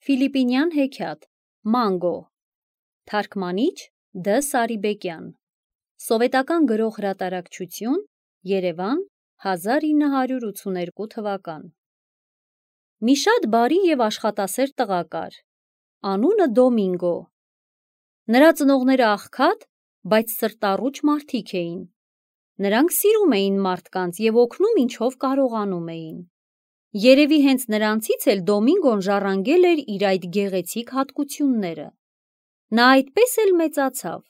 Ֆիլիպինյան հեքիաթ, Մանգո, թարգմանիչ Դ. Սարիբեկյան, սովետական գրող հրատարակչություն, Երևան, 1982 թվական։ Մի շատ բարի և աշխատասեր տղա կար, անունը Դոմինգո։ Նրա ծնողները աղքատ, բայց սրտառուչ մարդիկ էին։ Նրանք սիրում էին մարդկանց և օգնում ինչով կարողանում էին։ Երևի հենց նրանցից էլ Դոմինգոն ժառանգել էր իր այդ գեղեցիկ հատկությունները։ Նա այդպես էլ մեծացավ,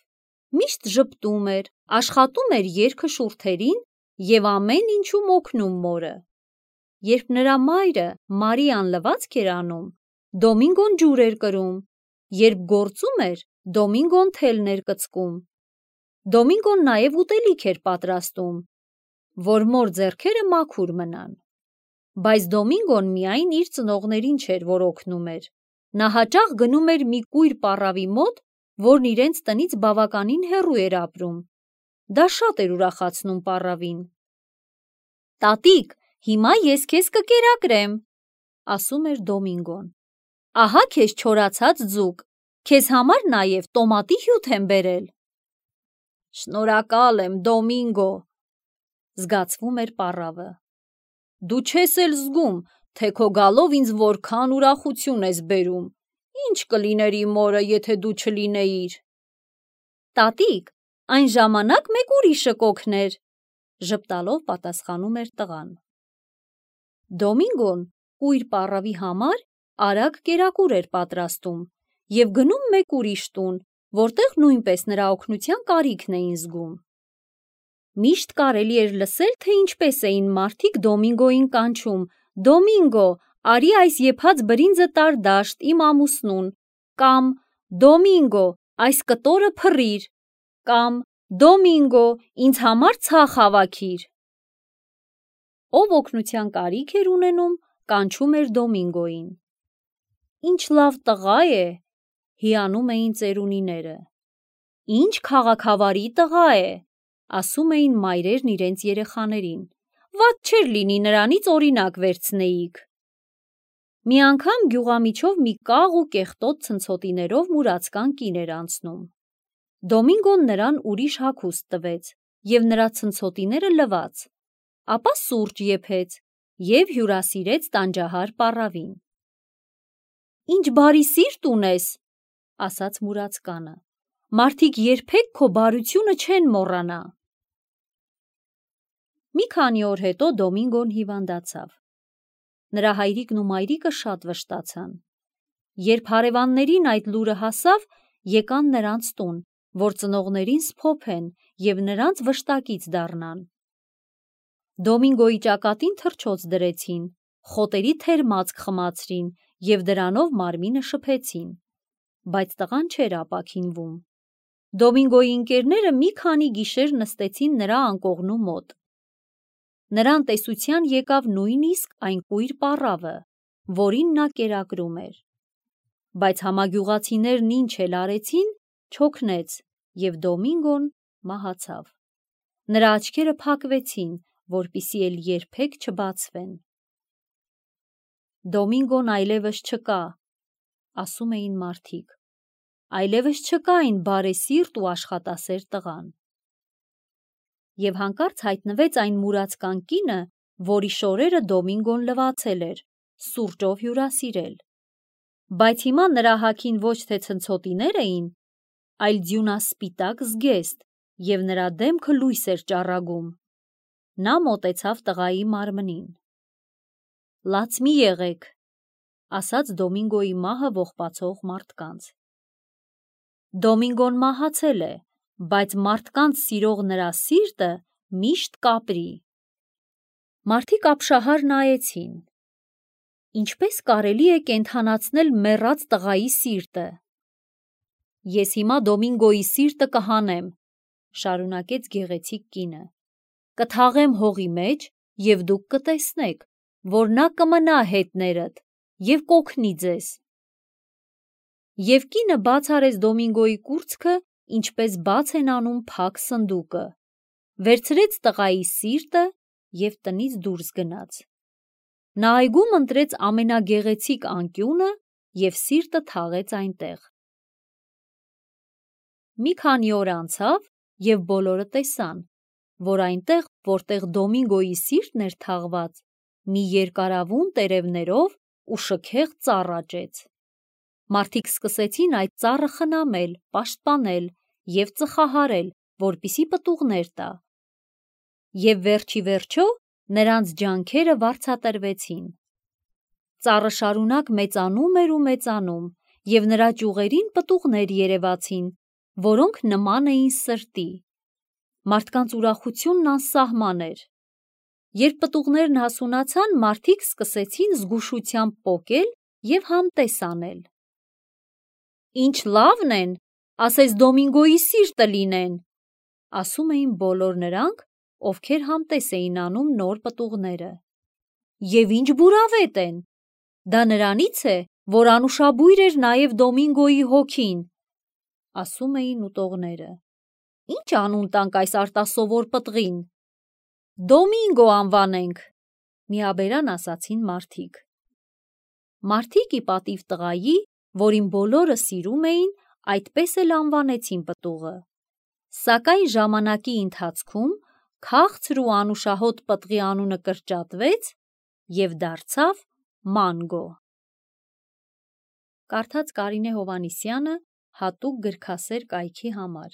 միշտ ժպտում էր, աշխատում էր երգը շուրթերին և ամեն ինչում օգնում մորը։ Երբ նրա մայրը Մարիան լվացք էր անում, Դոմինգոն ջուր էր կրում, երբ գործում էր, Դոմինգոն թելն էր կծկում։ Դոմինգոն նաև ուտելիք էր պատրաստում, որ մոր ձեռքերը մաքուր մնան։ Բայց Դոմինգոն միայն իր ծնողներին չէր, որ օգնում էր։ Նա հաճախ գնում էր մի կույր պառավի մոտ, որն իրենց տնից բավականին հեռու էր ապրում։ Դա շատ էր ուրախացնում պառավին։ «Տատիկ, հիմա ես քեզ կկերակրեմ», ասում էր Դոմինգոն։ «Ահա քեզ չորացած ձուկ, քեզ համար նաև տոմատի հյութ եմ բերել»։ «Շնորհակալ եմ, Դոմինգո», զգացվում էր պառավը։ «Դու չես էլ զգում, թե քո գալով ինձ որքան ուրախություն ես բերում։ Ինչ կլիներ իմ մորը, եթե դու չլինեիր»։ «Տատիկ, այն ժամանակ մեկ ուրիշը կօգներ», ժպտալով պատասխանում էր տղան։ Դոմինգոն կույր պառավի համար արագ կերակուր էր պատրաստում և գնում մեկ ուրիշ տուն, որտեղ նույնպես նրա օգնության կարիքն էին զգում։ Միշտ կարելի էր լսել, թե ինչպես էին մարդիկ Դոմինգոյին կանչում. «Դոմինգո, արի այս եփած բրինձը տար դաշտ իմ ամուսնուն», կամ «Դոմինգո, այս կտորը փռիր», կամ «Դոմինգո, ինձ համար ցախ հավաքիր»։ Ով օգնության կարիք էր ունենում, կանչում էր Դոմինգոյին։ «Ինչ լավ տղա է», հիանում էին ծերունիները։ «Ինչ քաղաքավարի տղա է», ասում էին մայրերն իրենց երեխաներին։ «Վատ չէր լինի նրանից օրինակ վերցնեիք»։ Մի անգամ գյուղամիջով մի կաղ ու կեղտոտ ցնցոտիներով մուրացկան կին էր անցնում։ Դոմինգոն նրան ուրիշ հագուստ տվեց և նրա ցնցոտիները լվաց, ապա սուրճ եփեց և հյուրասիրեց տանջահար պառավին։ «Ինչ բարի սիրտ ունես», ասաց մուրացկանը, «մարդիկ երբեք քո բարությունը չեն մոռանա»։ Մի քանի օր հետո Դոմինգոն հիվանդացավ։ Նրա հայրիկն ու մայրիկը շատ վշտացան։ Երբ հարևաններին այդ լուրը հասավ, եկան նրանց տուն, որ ծնողներին սփոփեն և նրանց վշտակից դառնան։ Դոմինգոյի ճակատին թռչոց դրեցին, խոտերի թերմացք խմացրին և դրանով մարմինը շփեցին, բայց տղան չէր ապաքինվում։ Դոմինգոյի ընկերները մի քանի գիշեր նստեցին նրա անկողնու մոտ։ Նրան տեսության եկավ նույնիսկ այն կույր պառավը, որին նա կերակրում էր։ Բայց համագյուղացիներն ինչ էլ արեցին, չօգնեց, և Դոմինգոն մահացավ։ Նրա աչքերը փակվեցին, որպեսզի էլ երբեք չբացվեն։ «Դոմինգոն այլևս չկա», ասում էին մարդիկ։ «Այլևս չկա այն բարեսիրտ ու աշխատասեր տղան»։ Եվ հանկարծ հայտնվեց այն մուրացկան կինը, որի շորերը Դոմինգոն լվացել էր, սուրճով հյուրասիրել։ Բայց հիմա նրա հագին ոչ թե ցնցոտիներ էին, այլ ձյունասպիտակ զգեստ, և նրա դեմքը լույս էր ճառագում։ Նա մոտեցավ տղայի մարմնին։ «Լաց մի եղեք», ասաց Դոմինգոյի մահը ողբացող մարդկանց։ Դոմինգոն մահացել է, բայց մարդկանց սիրող նրա սիրտը միշտ կապրի։ Մարդիկ ապշահար նայեցին։ Ինչպե՞ս կարելի է կենդանացնել մեռած տղայի սիրտը։ «Ես հիմա Դոմինգոյի սիրտը կհանեմ», շարունակեց գեղեցիկ կինը։ «Կթաղեմ հողի մեջ, և դուք կտեսնեք, որ նա կմնա հետներդ և կօգնի ձեզ»։ Եվ կինը բաց արեց Դոմինգոյի կուրծքը, ինչպես բաց են անում փակ սնդուկը, վերցրեց տղայի սիրտը և տնից դուրս գնաց։ Նա այգում ընտրեց ամենագեղեցիկ անկյունը և սիրտը թաղեց այնտեղ։ Մի քանի օր անցավ, և բոլորը տեսան, որ այնտեղ, որտեղ Դոմինգոյի սիրտն էր թաղված, մի երկարավուն տերևներով ու շքեղ ծառ աճեց։ Մարդիկ սկսեցին այդ ծառը խնամել, պաշտպանել և ծխահարել, որպեսզի պտուղներ տա։ Եվ վերջիվերջո նրանց ջանքերը վարձատրվեցին։ Ծառը շարունակ մեծանում էր ու մեծանում, և նրա ճյուղերին պտուղներ երևացին, որոնք նման էին սրտի։ Մարդկանց ուրախությունն անսահման էր։ Երբ պտուղներն հասունացան, մարդիկ սկսեցին զգուշությամբ պոկել և համտես անել։ «Ինչ լավն են, ասես Դոմինգոյի սիրտը լինեն», ասում էին բոլոր նրանք, ովքեր համտես էին անում նոր պտուղները։ «Եվ ինչ բուրավետ են, դա նրանից է, որ անուշաբույր էր նաև Դոմինգոյի հոգին», ասում էին ուտողները։ «Ինչ անուն տանք այս արտասովոր պտղին»։ «Դոմինգո անվանենք», միաբերան ասացին մարդիկ։ Մարդիկ ի պատիվ տղայի, որին բոլորը սիրում էին, այդպես էլ անվանեցին պտուղը։ Սակայն ժամանակի ընթացքում քաղցր ու անուշահոտ պտղի անունը կրճատվեց և դարձավ մանգո։ Կարդաց Կարինե Հովհաննիսյանը հատուկ գրքասեր կայքի համար։